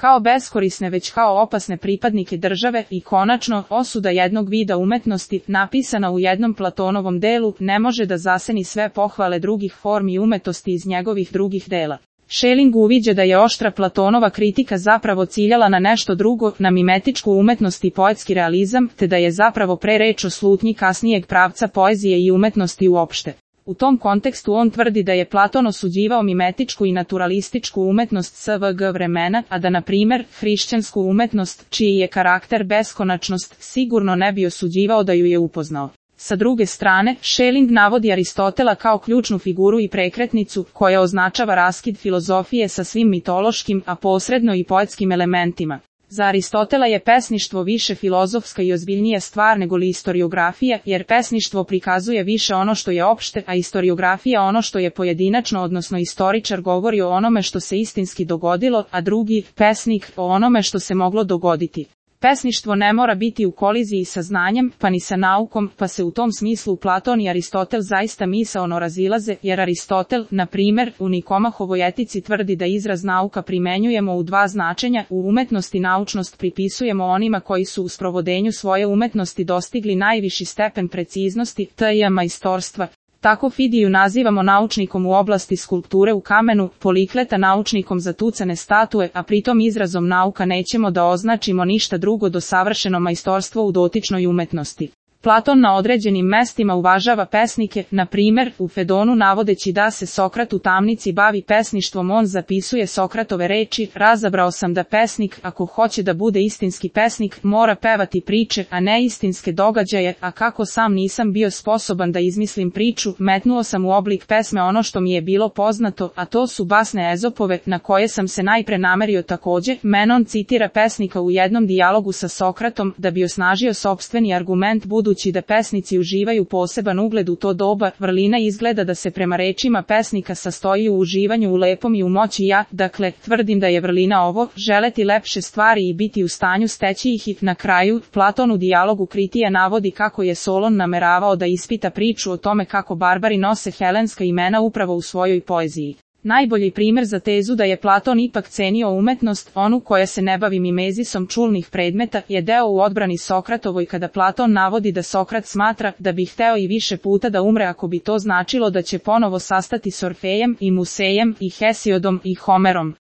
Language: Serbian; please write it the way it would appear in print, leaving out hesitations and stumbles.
kao beskorisne već kao opasne pripadnike države i konačno, osuda jednog vida umetnosti, napisana u jednom Platonovom delu, ne može da zaseni sve pohvale drugih formi umetosti iz njegovih drugih dela. Schelling uviđa da je oštra Platonova kritika zapravo ciljala na nešto drugo, na mimetičku umetnost i poetski realizam, te da je zapravo pre reč o slutnji kasnijeg pravca poezije i umetnosti uopšte. U tom kontekstu on tvrdi da je Platon osuđivao mimetičku i naturalističku umetnost SVG vremena, a da na primjer hrišćansku umetnost, čiji je karakter beskonačnost, sigurno ne bi osuđivao da ju je upoznao. Sa druge strane, Schelling navodi Aristotela kao ključnu figuru i prekretnicu, koja označava raskid filozofije sa svim mitološkim, a posredno i poetskim elementima. Za Aristotela je pesništvo više filozofska i ozbiljnija stvar nego li istoriografija, jer pesništvo prikazuje više ono što je opšte, a istoriografija ono što je pojedinačno, odnosno istoričar govori o onome što se istinski dogodilo, a drugi, pesnik, o onome što se moglo dogoditi. Pesništvo ne mora biti u koliziji sa znanjem, pa ni sa naukom, pa se u tom smislu Platon i Aristotel zaista misaono razilaze, jer Aristotel, na primjer, u Nikomahovoj etici tvrdi da izraz nauka primenjujemo u dva značenja, u umetnosti naučnost pripisujemo onima koji su u sprovodenju svoje umetnosti dostigli najviši stepen preciznosti, t.i. majstorstva. Tako Fidiju nazivamo naučnikom u oblasti skulpture u kamenu, Polikleta naučnikom za tucane statue, a pritom izrazom nauka nećemo da označimo ništa drugo do savršeno majstorstvo u dotičnoj umetnosti. Platon na određenim mestima uvažava pesnike, na primjer, u Fedonu navodeći da se Sokrat u tamnici bavi pesništvom on zapisuje Sokratove reči, razabrao sam da pesnik, ako hoće da bude istinski pesnik, mora pevati priče, a ne istinske događaje, a kako sam nisam bio sposoban da izmislim priču, metnuo sam u oblik pesme ono što mi je bilo poznato, a to su basne Ezopove, na koje sam se najpre namerio takođe. Menon citira pesnika u jednom dijalogu sa Sokratom, da bi osnažio sopstveni argument budući da pesnici uživaju poseban ugled u to doba, vrlina izgleda da se prema rečima pesnika sastoji u uživanju u lepom i u moći dakle, tvrdim da je vrlina ovo, želeti lepše stvari i biti u stanju steći ih i, na kraju, Platon u dijalogu Kritija navodi kako je Solon nameravao da ispita priču o tome kako barbari nose helenska imena upravo u svojoj poeziji. Najbolji primjer za tezu da je Platon ipak cenio umetnost, onu koja se ne bavi mimezisom čulnih predmeta, je deo u odbrani Sokratovoj kada Platon navodi da Sokrat smatra da bi hteo i više puta da umre ako bi to značilo da će ponovo sastati s Orfejem i Musejem i Hesiodom i Homerom.